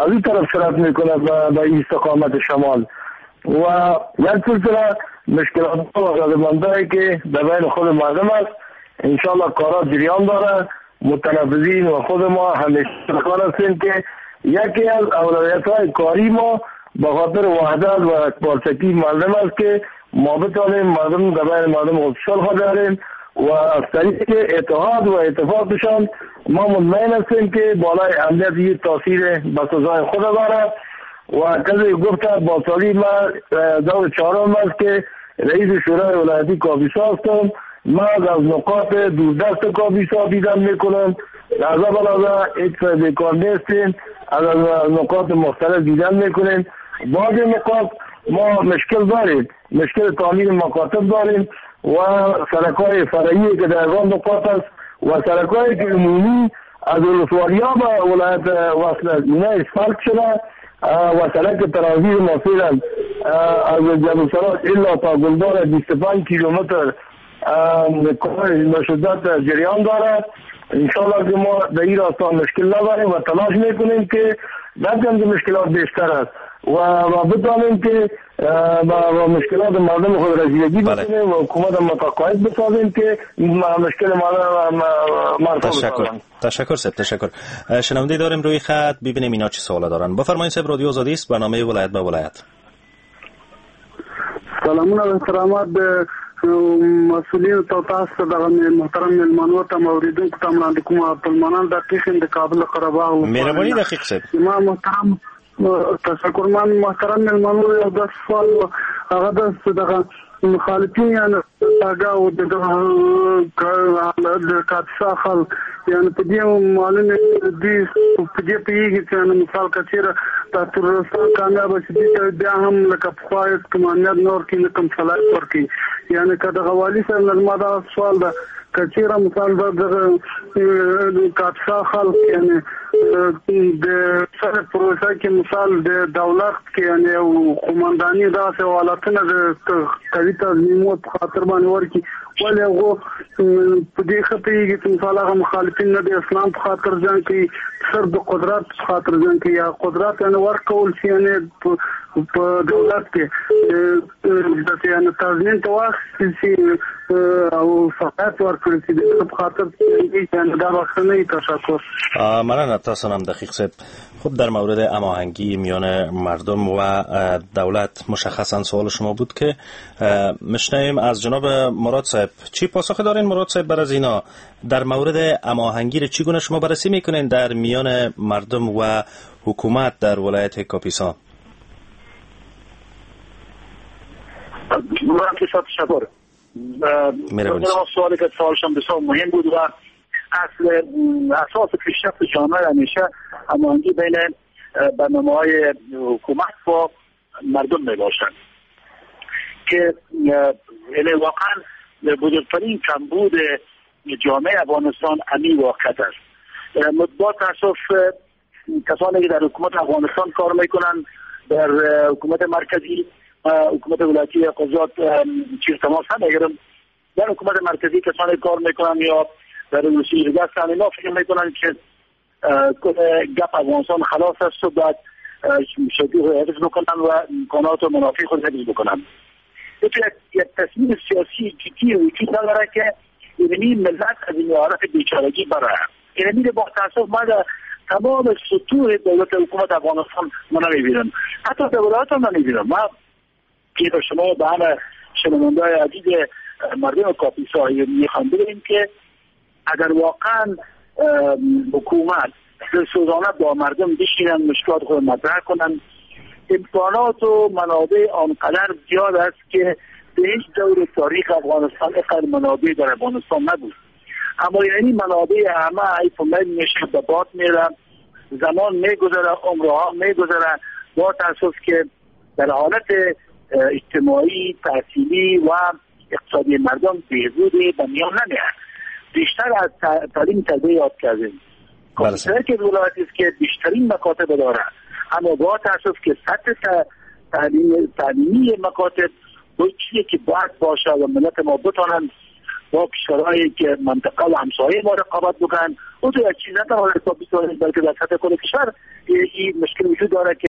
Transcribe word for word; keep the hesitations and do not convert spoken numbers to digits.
از این طرف سرعت میکنه به استقامت شمال و یک سلسله مشکلات و غضبمندهایی که در بین خود مردم است. انشالله کارا جریان داره، متنفذین و خود ما همیشه کار هستیم که یکی از اولویت های کاری ما به خاطر وحدت و یکپارچگی مردم است که ما بتوانیم مردم در بین مردم خود صلح داریم و از طریق اتحاد و اتفاقشان ما مطمئن هستیم که بالای امنیت یک تاثیر بسزای خود داره. و کسی گفت با سالی ما دور چهارم است که رئیس شورای ولایتی کاپیسا هستم. ما از نقاط دوردست کاپیسا دیدن میکنم، لحظه به لحظه هیچ بیکار نیستیم، از نقاط مختلف دیدن میکنیم. بعضی نقاط ما مشکل داریم، مشکل تعمیر مکاتب داریم و سرک‌های فرعی که در آن نقاط است و سرک‌های که عمومی از ولسوالیا به ولایت وصل است، اینا اسفالت شده و سرک ترانزیت ما فعلا از جبل سراج الا تا گلدار بیست و پنج کیلومتر به شدت جریان داره. انشالله که ما در این راستا مشکل نداریم و تلاش میکنیم که در که مشکلات بیشتر است و و بتوانیم که با مشکلات مردم خود رسیدگی بکنیم و حکومت متقاعد بسازیم که مشکل مردم مرفوع. تشکر تشکر صاحب، تشکر. شنونده داریم روی خط، ببینیم اینا چه سوالا دارن. بفرمایید صاحب، رادیو آزادی است، برنامه ولایت به ولایت. سلامونه و احترامات د مسؤلینو ته، تاسو ته، دغه محترم مېلمنو ته، اوریدونکو ته وړاندې کوم. عبدالمنان دقیق یم د کابل قره باغ. مهرباني دقیق صاحب. ما محترم تشکر. من محترم مېلمنو یو داسې سوال، هغه داسې دغه مخالفین یعنې هغه او د د کاپیسا خلک یعنې په دې معلومه دوی په دې پوهېږي چې یعنې مثال که چېرې دا تروریستان کامیابه شي دوی ته بیا هم لکه پخوا هېڅ کوم امنیت نه ورکوي، نه کوم صلاحیت ورکوي. یعنې که دغه والي صاحب نه زما دغه سوال ده، که چېرې مثال دا دغه کاپیسا خلک یعنې د سره پروسه کې مثال د دولت کې یعنې یو قومنداني داسې حالتونه د قوي تنظیمو په خاطر باندې ورکړي، ولې هغو په دې ښه پوهېږي چې مثال هغه مخالفین نه د اسلام په خاطر جنګ کوي، صرف د قدرت په خاطر جنګ کوي، یا قدرت یعنې ورکول شي یعنې په دولت کې داسې یعنې تضمین ته واخیستل شي او صلاحیت ورکړل شي د دې په خاطر یعنې دا به ښه نه وي. تشکر. مننه تاسو هم دقیق صاحب. خب در مورد هماهنگی میان مردم و دولت مشخصا سوال شما بود که میشنویم از جناب مراد صاحب. چی پاسخ دارین مراد صاحب بر از اینا؟ در مورد هماهنگی رو چگونه شما بررسی میکنین در میان مردم و حکومت در ولایت کاپیسا؟ مراد صاحب تشکر. سوالی که سوالشان بسیار مهم بود و اصل اساس پیشرفت جامعه همیشه هماهنگی بین برنامه‌های حکومت با مردم میباشند که یعنی واقعا بزرگترین کمبود جامعه افغانستان همین واقعیت است. با تاسف کسانی که در حکومت افغانستان کار میکنن، در حکومت مرکزی، حکومت ولایتی قضات چیز تماس ندارم، در حکومت مرکزی کسانی کار میکنن یا در روسیه هستن، اینا فکر میکنن که گپ افغانستان خلاص است و بعد شدی رو حفظ بکنن و امکانات و منافع خود حفظ بکنن. یک یک تصمیم سیاسی جدی وجود نداره که یعنی ملت از این حالت بیچارگی برای یعنی با تاسف ما در تمام سطوح دولت حکومت افغانستان ما نمیبینم، حتی در ولایت هم نمیبینم. ما که به شما به همه شنونده‌های عزیز مردم کاپیسا میخوام بگیم که اگر واقعا حکومت دلسوزانه با مردم بشینن، مشکلات خود مطرح کنن، امکانات و منابع آنقدر زیاد است که به هیچ دور تاریخ افغانستان اینقدر منابع در افغانستان نبود. اما یعنی منابع همه ای فمیل میشه، به باد میره، زمان میگذره، عمرها میگذره. با تاسف که در حالت اجتماعی، تحصیلی و اقتصادی مردم بهبودی به میان نمیاد. بیشتر از تعلیم تربیه یاد کردیم. کامپیوتر که ولایتی است که بیشترین مکاتب داره، اما با تاسف که سطح تعلیم تعلیمی مکاتب با چیزی که باید باشه و ملت ما بتانند با کشورهایی که منطقه و همسایه ما رقابت بکنن. او تو یک چیز نه تنها در بیست، بلکه در سطح کل کشور این مشکل وجود داره که